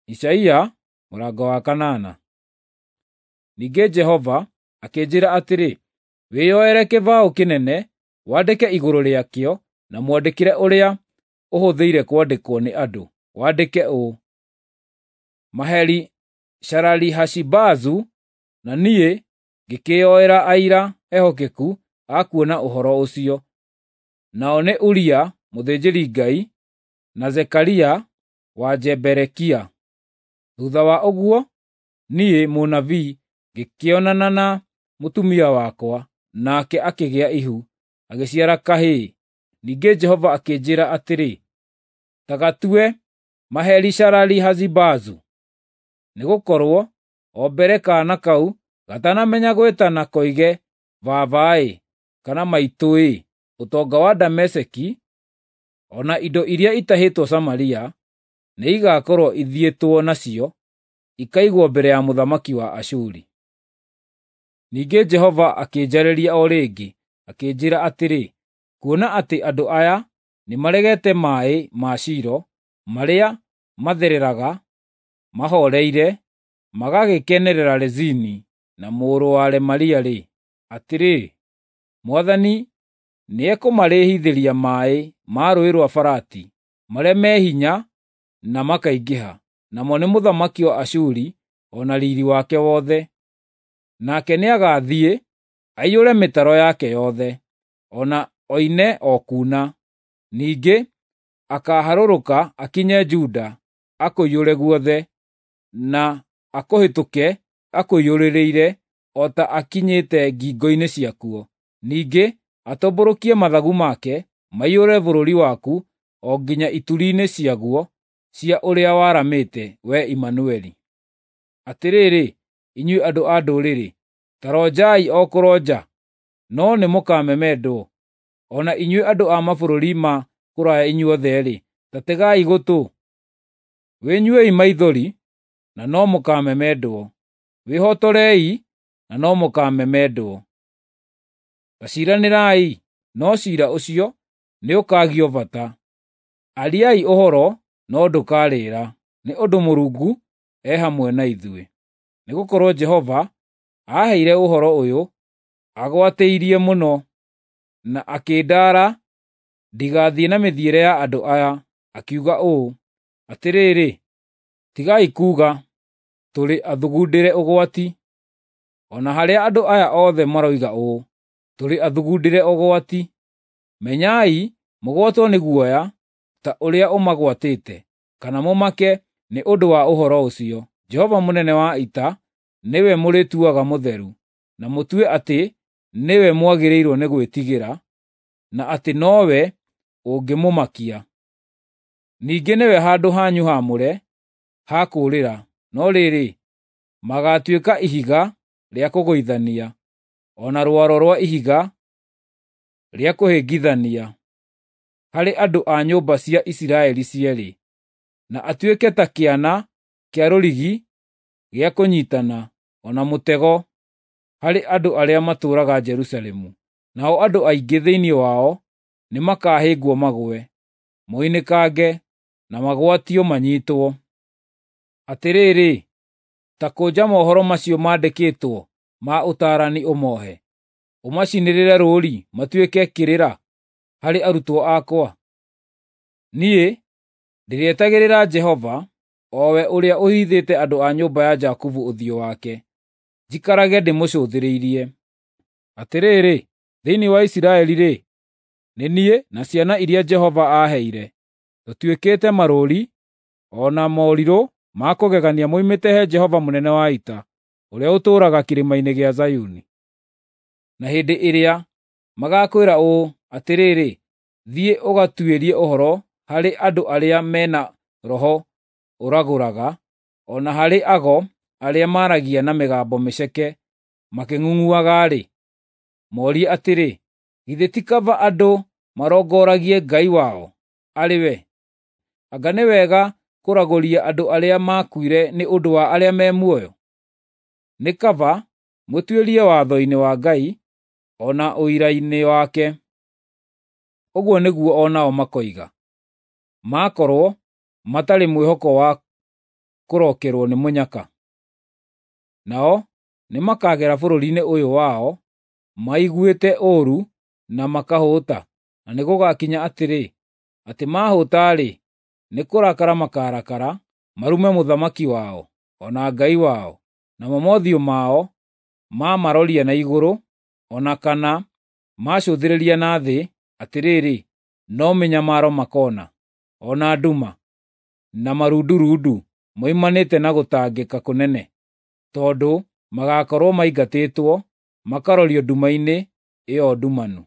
Isaia mũrango wa kanana. Ningĩ Jehova akĩnjĩra atĩrĩ, wĩyoere kĩbaũ kĩnene, wandĩke igũrũ rĩakĩo na mwandĩkĩre ũrĩa ũhũthĩire kwandĩkwo nĩ andũ, wandĩke ũũ: Maheri-Shalali-Hashi-Bazu. Na niĩ ngĩkĩĩyoera aira ehokeku a kuona ũhoro ũcio, nao nĩ Uria mũthĩnjĩri-Ngai na Zekaria wa Jeberekia. Thutha wa ũguo, niĩ, mũnabii, ngĩkĩonana na mũtumia wakwa, nake akĩgĩa ihu, agĩciara kahĩĩ. Ningĩ Jehova akĩnjĩĩra atĩrĩ, “Ta gatue Maheri-Shalali-Hashi-Bazu, nĩgũkorwo o mbere kaana kau gatanamenya gwĩtana koige, ‘Baba-ĩ,’ kana ‘Maitũ-ĩ,’ ũtonga wa Dameski o na indo iria itahĩtwo Samaria nĩigakorwo ithiĩtwo nacio ikaigwo mbere ya mũthamaki wa Ashuri.” Ningĩ Jehova akĩnjarĩria o rĩngĩ, akĩnjĩĩra atĩrĩ, “Kuona atĩ andũ aya nĩmaregete maaĩ ma Shilo marĩa mathereraga mahooreire, magagĩkenerera Rezini na mũrũ wa Remalia-rĩ, atĩrĩ, Mwathani nĩekũmarehithĩria maaĩ ma Rũũĩ rwa Farati marĩa me hinya na makaingĩha, namo nĩ mũthamaki wa Ashuri o na riiri wake wothe. Nake nĩagathiĩ aiyũre mĩtaro yake yothe, o na oine o kuuna. Ningĩ akaaharũrũka akinye Juda akũiyũre guothe, na akũhĩtũke akũiyũrĩrĩire o ta akinyĩte ngingo-inĩ ciakuo. Ningĩ atambũrũkie mathagu make maiyũre bũrũri waku o nginya ituri-inĩ ciaguo cia ũrĩa waramĩte, wee Imanueli. Atĩrĩrĩ, inyuĩ andũ a ndũrĩrĩ, ta ronjai o kũronja, no nĩmũkamemendwo. O na inyuĩ andũ a mabũrũri ma kũraya inyuothe-rĩ, ta tegai gũtũ. Wĩnyuei maithori, na no mũkamemendwo; wĩhotorei, na no mũkamemendwo. Ta ciiranĩrai, no ciira ũcio nĩũkaagio bata; ariai ũhoro, no ndũkarĩra, nĩ ũndũ Mũrungu e hamwe na ithuĩ. Nĩgũkorwo Jehova aaheire ũhoro ũyũ agwatĩirie mũno, na akĩndaara ndigathiĩ na mĩthiĩre ya andũ aya, akiuga ũũ: “Atĩrĩrĩ, tigai kuuga, ‘Tũrĩ athugundĩre ũgwati,’ o na harĩa andũ aya othe maroiga ũũ, ‘Tũrĩ athugundĩre ũgwati.’ Menyai mũgwatwo nĩ guoya ta ũrĩa ũmagwatĩte, kana mũmake nĩ ũndũ wa ũhoro ũcio. Jehova mũnene wa ita nĩwe mũrĩtuaga mũtheru, na mũtue atĩ nĩwe mwagĩrĩirwo nĩ gwĩtigĩra, na atĩ nowe ũngĩmũmakia. Ningĩ nĩwe handũ hanyu haamũre ha kũũrĩra, no rĩrĩ, magaatuĩka ihiga rĩa kũgũithania, o na rwaro rwa ihiga rĩa kũhĩngithania harĩ andũ a nyũmba cia Isiraeli cierĩ, na atuĩke ta kĩana kĩa rũrigi gĩa kũnyiitana, o na mũtego harĩ andũ arĩa matũũraga Jerusalemu. Nao andũ aingĩ thĩinĩ wao nĩmakahĩngwo magũe, moinĩkange, na magwatio manyiitwo. Atĩrĩrĩ, ta kũnja mohoro macio mandĩkĩtwo ma ũtaarani ũmoohe, ũmacinĩrĩre rũũri matuĩke kĩrĩra harĩ arutwo akwa. Niĩ ndĩrĩetagĩrĩra Jehova, o we ũrĩa ũhithĩte andũ a nyũmba ya Jakubu ũthiũ wake, njikarage ndĩmũcũthĩrĩirie. Atĩrĩrĩ, thĩinĩ wa Isiraeli-rĩ, nĩ niĩ na ciana iria Jehova aaheire, tũtuĩkĩte marũũri o na morirũ ma kũgegania moimĩte he Jehova mũnene wa ita, ũrĩa ũtũũraga kĩrĩma-inĩ gĩa Zayuni. Na hĩndĩ ĩrĩa magakwĩra ũũ, “Atĩrĩrĩ, thiĩ ũgatuĩrie ũhoro harĩ andũ arĩa me na roho ũragũraga, o na harĩ ago arĩa maaragia na mĩgambo mĩceke makĩng'ung'uaga-rĩ,” morie atĩrĩ, “Githĩ ti kaba andũ marongoragie Ngai wao arĩ we? Anga nĩ wega kũragũria andũ arĩa maakuire nĩ ũndũ wa arĩa me muoyo? Nĩ kaba mũtuĩrie watho-inĩ wa Ngai o na ũira-inĩ wake.” Ũguo nĩguo o nao makoiga, makorwo matarĩ mwĩhoko wa kũrokerũo nĩ mũnyaka. Nao nĩmakagera bũrũri-inĩ ũyũ wao maiguĩte ũũru na makahũta, na nĩgũgakinya atĩrĩ, atĩ maahũta-rĩ, nĩ kũrakara makarakara, marume mũthamaki wao, o na Ngai wao, namo mothiũ mao maamaroria na igũrũ, o na kana maacũthĩrĩria na thĩ, atĩrĩrĩ, no mĩnyamaro makona, o na nduma, na marundurundu moimanĩte na gũtangĩka kũnene, tondũ magakorũo maingatĩtwo makarorio nduma-inĩ ĩo ndumanu.